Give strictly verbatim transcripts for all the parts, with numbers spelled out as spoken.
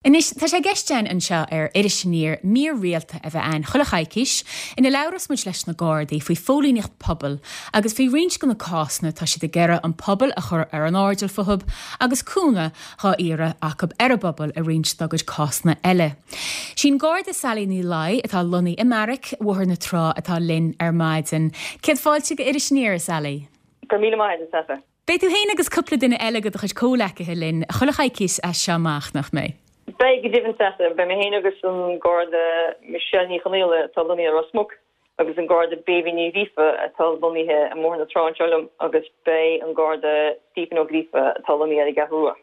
Anois, tá sé i gceist againn anseo ar Iris Aniar mír rialta a bheith ann chuile choicís ina labhras muid leis na Gardaí faoi phóilíneacht pobail agus faoi roinnt de na cásanna tá siad ag iarraidh an pobal a chur ar an airdeall fúthu agus cúnamh á iarraidh acu ar an bpobal i roinnt dá gcuid cásanna eile. Sin Garda Sally Ní Laoi atá lonnaithe i mBeairic Bhóthar na Trá atá linn ar maidin. Céad fáilte go Iris Aniar Sally. Go míle maith Neasa. Beidh tú féin agus cúpla duine eile de do chuid comhghleacaithe linn chuile choicís as seo amach nach mbeidh. Beidh go deimhin Neasa beidh mé féin agus an Garda Michelle Ní Chonaola atá lonnaithe i Ros Muc agus an Garda Béibhinn Ní Ghríofa atá lonnaithe i mBóthar na Trá anseo liom agus beidh an Garda Stephen Ó Gríofa atá lonnaithe ar an gCeathrú Rua.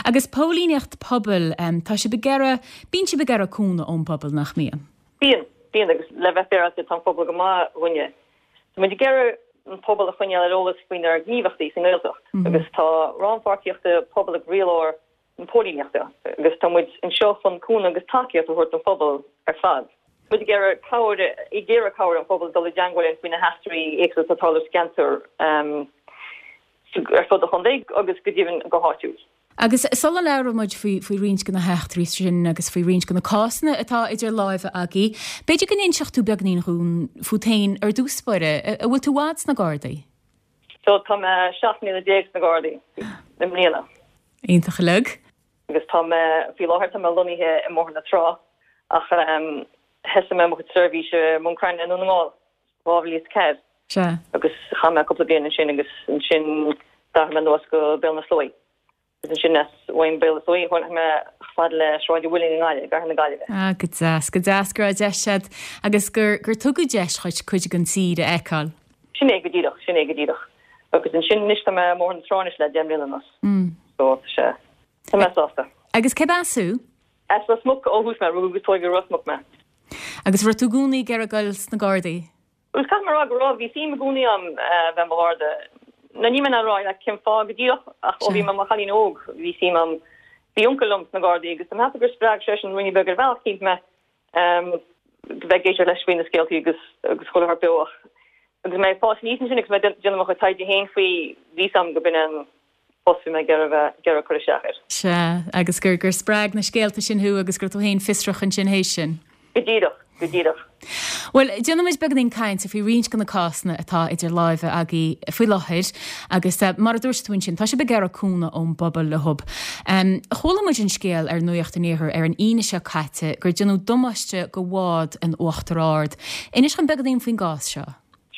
Agus póilíneacht pobail um, tá sibh ag iarraidh bíonn sibh ag iarraidh cúnamh ón bpobal nach mbíonn. Bíonn bíonn agus le bheith féaráilte tá an pobal go maith dhúinne. Tá muid ag iarraidh an pobal a choinneáil ar eolas faoinár ngníomhaíochtaí sa nGaeltacht mm -hmm. agus tá rannpháirtíocht pobail ag croílár na póilíneachta agus tá muid anseo chun cúnamh agus tacaíocht a thabhairt don phobal ar fad. Muid ag iarraidh cabhair ag iarraidh cabhair an phobal dul i dteagmháil faoi na heachtraí éagsúla atá ag tarlú sa gceantar um, ar fud an chontae agus go deimhin go háitiúil. Agus sula labhraíonn muid faoi faoi roinnt de na heachtraí sin agus faoi roinnt de na cásanna atá idir láimhe agaibh, B'fhéidir go n-inseodh tú beagáinín dhúinn fút féin ar dtús báire, an bhfuil tú i bhfad sna Gardaí. So tá mé seacht mbliana déag sna Gardaí i mbliana. Iontach uilig. Agus tá mé faoi láthair tá mé lonnaithe i mBóthar na Trá ach um, thosaigh mé mo chuid seirbhíse i mBun Cranncha i nDún na nGall dhá mhíle ceathair. Se. Agus chaith mé cúpla bliain ansin agus ansin d'athair mé anuas go Béal na Sluaí. Agus ansin as bhain Béal na Sluaí tháinig mé fad le Sráid an Mhuilinn i nGaillimh, i gCathair na Gaillimhe. Ah, go deas, go deas go raibh deis agat agus gur gur tugadh deis dhuit cuid den tír a fheiceáil. Sin é go díreach, sin é go díreach. Agus ansin anois tá mé i mBóthar na Trá anois le deich mbliana anuas. Mm. So sé Tá mé sásta. Agus cé as thú? As Ros Muc ó thús mé rugadh agus tógadh i Ros Muc mé. Agus raibh tú i gcónaí ag iarraidh dul sna Gardaí? Us caithfidh mé rá go raibh bhí suim i gcónaí agam bheith i mo Gharda. Na ní mé rá le cén fáth go díreach ach ó bhí mé i mo chailín óg bhí suim agam bhí uncail liom sna Gardaí agus tá gur spreag sé sin rudaí beag ar bhealach cínt mé um, bheith ag éisteacht leis faoi na scéaltaí agus agus chuile shórt beo ach agus mé fás aníos ansin agus mé déanamh mo chuid taighde féin faoi bhí am go b'in an post mé ag cur isteach air. Se agus gur gur spreag na scéalta sin thú agus gur tú féin fiosrach ansin théis sin. Go díreach, go díreach. Well, déanfaimid beagáinín cainte faoi roinnt de na cásanna atá idir láimhe agaibh faoi láthair agus uh, mar a dúirt tú ansin tá sibh ag iarraidh cúnamh ón bpobal le hub. Um, Chuala muid an scéal ar Nuacht an Iarthair ar an Aoine seo caite gur déanadh damáiste do bhád in Uachtar Ard. Inis dom beagáinín faoin gcás seo.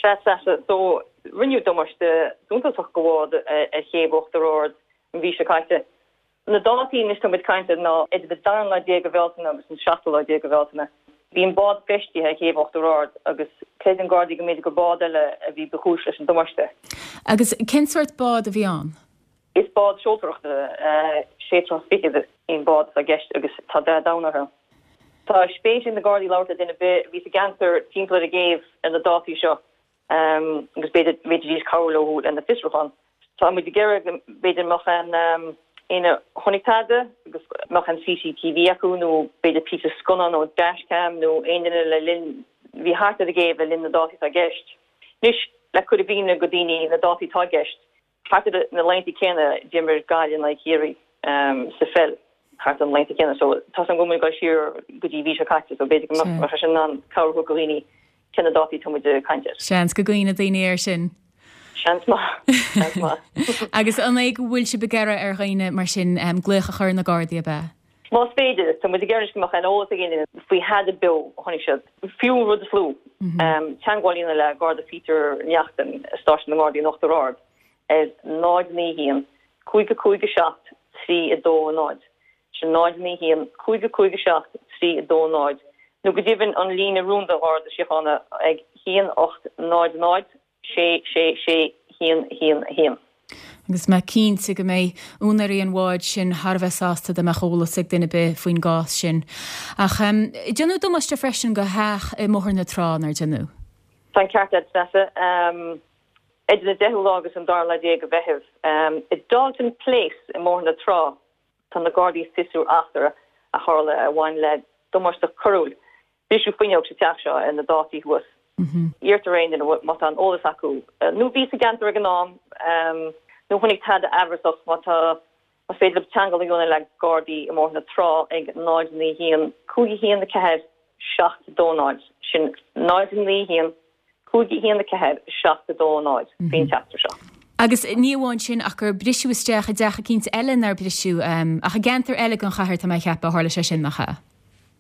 Se se so rinneadh damáiste suntasach do bhád ar chéibh Uachtar Ard an mhí seo caite. Na dátaí anois tá muid ag caint ná idir an dara lá déag de Bhealtaine agus an seachtú lá déag de Bhealtaine. Bhí an bád feistithe ar chéibh Uachtar Ard agus creideann Gardaí go mb'fhéidir gur bád eile a bhí ba chúis leis an damáiste. Agus cén sórt bád a bhí ann? Is bád seoltóireachta sé troigh fichead an bád i gceist agus tá dath donn air. Tá spéis ag na Gardaí labhairt le duine a bhí sa gceantar timpeall ar an gcéibh ar na dátaí seo um, agus b'fhéidir b'fhéidir cabhrú leo lena bhfiosrúchán. Tá muid ag iarraidh b'fhéidir mbeadh an um, éinne chonaic tada agus mbeadh an CCTV acu nó b'fhéidir píosa scannán nó dashcam nó aon duine le linn bhí thart ar an gcéibh le linn na dátaí atá i gceist. Anois le cur i gcuimhne do dhaoine na dátaí atá i gceist. Thart ar na laethanta céanna d'imir Gaillimh in aghaidh Chiarraí um, sa pheil thart an laethanta céanna so tá an go go siar go dtí mhí seo caite so b'fhéidir go mbeadh sin an cabhrú do dhaoine cé na dátaí tá muid ag caint air. Seans go gcuimhneoidh daoine air sin. Seans maith maith. Agus an é go bhfuil sibh ag iarraidh ar dhaoine mar sin um, glaoch a chur ar na Gardaí ab ea. Más féidir tá muid ag iarraidh go mbeadh an eolas ag éinne faoi thada beo a chonaic siad fiú rud is lú. Um, teagmháil a dhéanamh le Garda Peter Neachtain stáisiún na nGardaí in Uachtar Ard ar náid naoi haon cúig cúig seacht trí a dó náid. Sin náid naoi haon cúig cúig seacht trí a dó náid. Nó go deimhin an líne rúnda Gharda Síochána ag haon ocht náid náid sé sé sé haon haon haon. Agus mé cinnte go mbeidh úinéirí an bháid sin thar a bheith sásta dá mbeadh eolas ag duine ar bith faoin gcás sin. Ach um, déanadh damáiste freisin do theach i mBóthar na Trá nár déanadh. Tá an ceart agat Neasa um, idir an deichiú lá agus an dara lá déag de Mheitheamh. Um, i Dalton Place i mBóthar na Trá tá na Gardaí ag fiosrú eachtra a tharla a bhain le damáiste coiriúil. Briseadh fuinneog sa teach seo ar na dátaí thuas. Iarrtar ar aon duine má tá an eolas acu. Nó bhí sa gceantar ag an am um, nó chonaic tada amhrasach má tá Más féidir libh teagmháil a dhéanamh le Gardaí i mBóthar na Trá ag náid naoi haon cúig a haon a ceathair seacht a dó náid, sin náid naoi haon cúig a haon a ceathair seacht a dó náid faoin teachtaireacht seo. Agus ní amháin sin ach gur briseadh isteach i dteach eicínt eile nár briseadh, ach i gceantar eile den chathair tá mé a cheapadh a tharla sé sin, nach ea?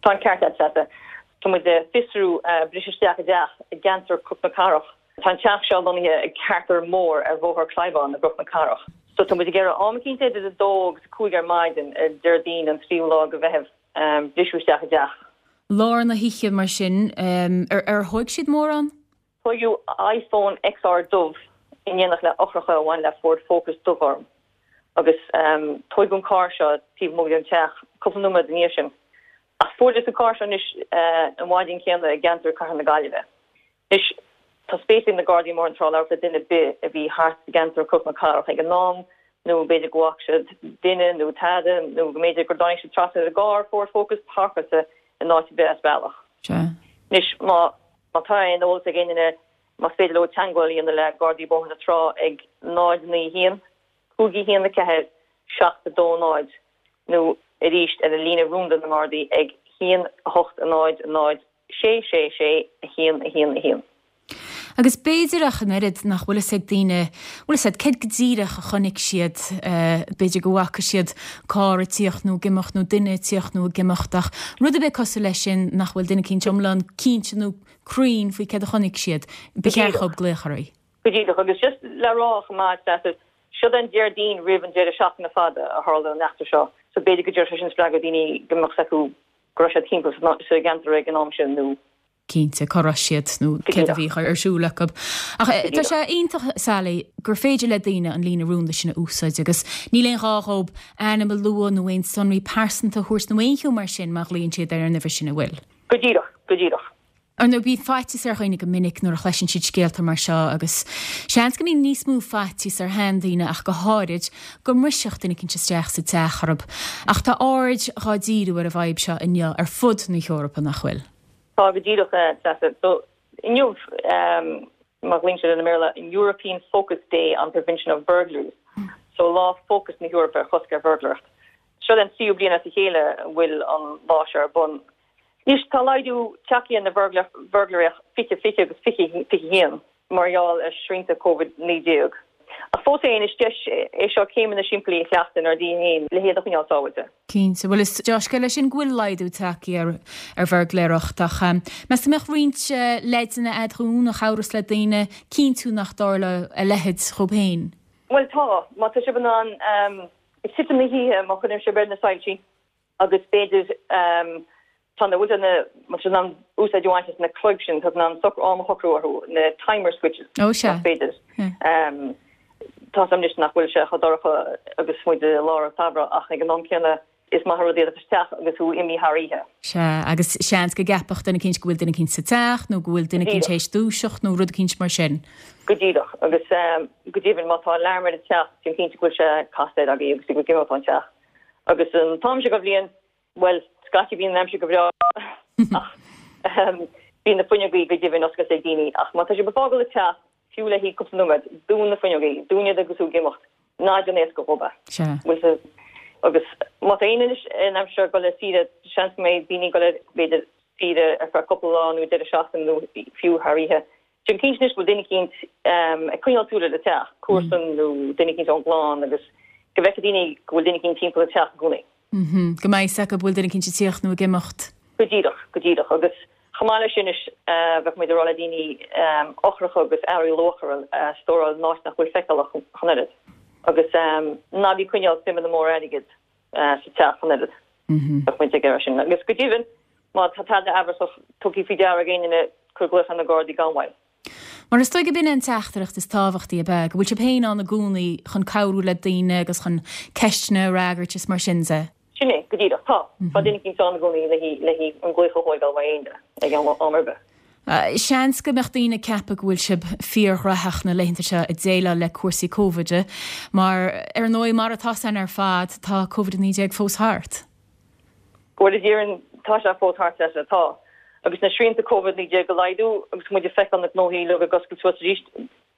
Tá an ceart agat, Treasa. Tá muid ag fiosrú briseadh isteach i dteach i gceantar Chnoc na Cathrach. Tá an teach seo lonnaithe i Ceartar Mór ar Bhóthar Clybourne i gCnoc na Cathrach. So tá muid ag iarraidh am eicínt idir a dó agus a cúig ar maidin ar Déardaoin an tríú lá de Mheitheamh briseadh isteach i dteach. Lár na hoíche mar sin, ar ar thóig siad mórán? Tóigeadh iPhone XR dubh in éineacht le eochracha a bhain le Ford Focus dubhghorm agus tóigeadh an carr seo taobh amuigh den teach cúpla nóiméad ina dhiaidh sin. Ach fuarthas an carr seo anois an mhaidin chéanna i gceantar Chathair na Gaillimhe. Anois, tá spéis ag na Gardaí i mBóthar na Trá labhairt le duine ar bith a bhí thart i gceantar Chnoc na Cathrach ag an am nó b'fhéidir go bhfaca siad duine nó tada nó go mb'fhéidir gur dtáinig siad trasna ar an gcarr Ford Focus páirceáilte in áit ar bith as bealach. Anois, má má tá aon eolas ag aon duine, más féidir leo teagmháil a dhéanamh le Gardaí Bóthar na Trá ag náid naoi haon, cúig a haon a ceathair, seacht a dó náid nó arís ar an líne rúnda na nGardaí ag haon a hocht a náid a náid sé sé sé a haon a haon a haon. Agus b'fhéidir ach an oiread nach bhfuil fhios ag daoine, bhfuil fhios agat, céard go díreach a chonaic siad, b'fhéidir go bhfaca siad carr ag tíocht nó ag imeacht nó duine ag tíocht nó ag imeacht ach rud ar bith cosúil leis sin nach bhfuil duine eicínt iomlán cinnte nó cruinn faoi céard a chonaic siad, ba cheart dhóibh glaoch oraibh. Go díreach, agus just le rá chomh maith, Treasa, siod an Déardaoin roimh an deireadh seachtaine fada a tharla an eachtra seo, so b'fhéidir go dtabharfadh sé sin spreagadh daoine go mbeadh 's acu go raibh siad timpeall sa gceantar ag an am sin nó. cinnte cá raibh siad nó céard a bhí ar siúl acu. Ach tá sé iontach, Sally, gur féidir le daoine an líne rúnda sin a úsáid agus níl aon ghá dhóibh ainm a lua nó aon sonraí pearsanta a thabhairt nó aon cheo mar sin má ghlaonn siad ar an uimhir sin an bhfuil? Go díreach, go díreach. Ar ndóigh, bíonn faitíos ar dhaoine go minic nuair a chloiseann siad scéalta mar seo agus seans go mbíonn níos mó faitíos ar sheandaoine ach go háirid go mbrisfeadh duine eicínt isteach sa teach orthu. Ach tá aird dhá díriú ar an bhfadhb seo inniu ar fud na hEorpa, nach bhfuil? Tá, go díreach, Treasa. So, inniu, mar a ghlaonn siad i mBéarla, an European Focus Day on Prevention of Burglaries. So, lá fócas na hEorpa ar chosc ar bhurglaireacht. Seo an tríú bliain as a chéile a bhfuil an lá seo ar bun. Anois, tá laghdú tagtha ar an bhurglaireacht fiche fiche agus fiche fiche haon mar gheall ar shrianta Covid naoi déag. Ach fós féin, is deis é seo céimeanna simplí a chleachtadh inár dtithe féin le hiad a choinneáil sábháilte. Cinnte. Bhuel, is dea-scéal é sin go bhfuil laghdú tagtha ar ar bhurglaireacht ach meas tú an mbeadh roinnt leideanna a'd dhúinn a chabhrós le daoine cinntiú nach dtarlódh a leithéid dhóibh féin? Bhuel, tá. Má tá sibh in ann, ag titim na hoíche, má chuireann sibh ar na soilsí, agus b'fhéidir tá na bhfuil na má tá in ann úsáid a bhaint as na cloig sin tá in ann socrú am a shocrú orthu na timer switches Ó sea. más féidir. Tá 's agam anois nach bhfuil sé chomh dorcha agus muid i lár an tsamhraidh ach ag an am céanna is maith an rud iad a bheith isteach agus thú imithe thar oíche. Sea, agus seans go gceapfadh duine eicínt go bhfuil duine eicínt sa teach nó go bhfuil duine eicínt Díreach. théis dúiseacht nó rud eicínt mar sin. Go díreach, agus go deimhin má tá alarm ar an teach déan cinnte go bhfuil sé casta air agaibh agus go gcimeálfá an teach. Agus an t-am seo de bhliain, bhuel, scaití bíonn an aimsir go breá ach bíonn na fuinneogaí go deimhin oscailte ag daoine. Ach má tá sibh ag fágáil an teach, fiú le haghaidh cúpla nóiméad, dún na fuinneogaí, dún iad agus tú ag imeacht. Ná déan éasca dhóibh é. Sea. Bhfuil fhios agus má tá éinne anois in aimsir ag dul ar saoire, seans go mbeidh daoine ag dul ar, b'fhéidir, saoire ar feadh cúpla lá nó deireadh seachtaine nó fiú thar oíche. Déan cinnte anois go bhfuil duine eicínt ag coinneáil súil ar an teach, comharsan nó duine eicínt ón gclann agus go bhfeicfidh daoine go bhfuil duine eicínt timpeall an teach i gcónaí. Go mbeidh fhios acu bhfuil duine eicínt ag tíocht nó ag imeacht. Go díreach, go díreach. Agus chomh maith leis sin anois bheadh muid ag rá le daoine eochracha agus earraí luachmhara a stóráil in áit nach bhfuil feiceálach ach an oiread. Agus ná bí ag coinneáil suimeanna móra airgid sa teach ach an oiread. Bheadh muid ag iarraidh sin. Agus go deimhin, má tá tada amhrasach tugtha faoi deara ag aon duine, cuir glaoch ar na Gardaí gan mhoill. Mar is dóigh gurb in an teachtaireacht is tábhachtaí, ab ea? Go bhfuil sibh féin ann i gcónaí chun cabhrú le daoine agus chun ceisteanna a fhreagairt is mar sin de. Sin é, go díreach. Tá. Tá duine eicínt ann i gcónaí le haghaidh an glaoch a thógáil uaidh aon duine ag am ar bith. Seans go mbeadh daoine ag ceapadh go bhfuil sibh fíorghnóthach na laethanta seo ag déileáil le cúrsaí Covid, mar ar ndóigh mar atá 's againn ar fad tá Covid a naoi déag fós thart. Bhuel, go deimhin, tá sé fós thart, sea, tá. Agus na srianta Covid naoi déag a laghdú agus muid ag feiceáil na gnóthaí uilig ag oscailt suas arís,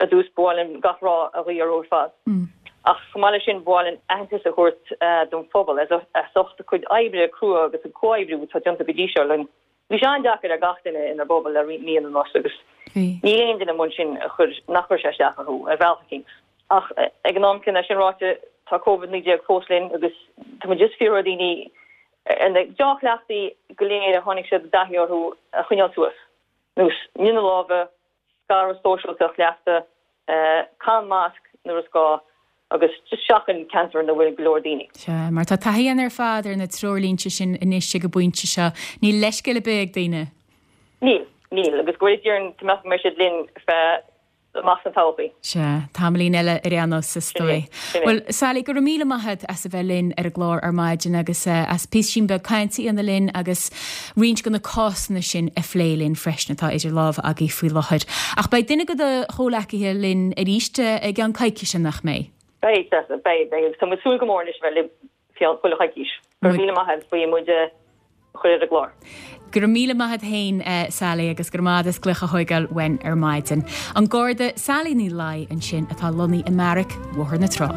ar dtús, ba mhaith linn gach rath a ghuí oraibh ar fad. Ach chomh maith leis sin, ba mhaith linn aitheantas a thabhairt don phobal as ucht a cuid oibre crua agus an comhoibriú atá déanta go dtí seo linn. Bhí sé an-deacair ar gach duine inár bpobal le roinnt míonna anuas agus níl aon duine amuigh ansin a chuir, nach chuir sé isteach orthu ar bhealach eicínt. Ach ag an am céanna, é sin ráite, tá Covid naoi déag fós linn agus tá muid just ag fiafraí ar dhaoine ar na dea-chleachtaí go léir a tháinig siad i dtaithí orthu a choinneáil suas, nós nigh na lámha, scaradh sóisialta a chleachtadh, caith masc nuair is gá agus just seachain ceantair ina bhfuil go leor daoine. Sea, mar tá taithí againn ar fad ar na treoirlínte sin anois ag an bpointe seo. Níl leithscéal ar bith ag daoine. Níl, níl, agus go bhfuil deimhin go mbeidh siad linn feadh amach sa todhchaí. Sea, tamaillín eile ar aon nós is dóigh. Bhuel, Sally, go raibh míle maith agat as a bheith linn ar an gclár ar maidin agus as píosa beag cainte a dhéanamh linn agus roinnt de na cásanna sin a phlé linn freisin atá idir lámha agaibh faoi láthair. Ach beidh duine de do chomhleacaithe linn arís i gceann coicíse nach mbeidh? Beidh, beidh, beidh, agus tá muid ag súil go mór anois a bheith libh chuile choicís. Go raibh míle maith agat faoi muid a chur ar an gclár. Go raibh míle maith agat féin, Sally, agus go raibh maith agat as glaoch a thógáil uainn ar maidin. An Garda Sally Ní Laoi ansin atá lonnaithe i mBeairic Bhóthar na Trá.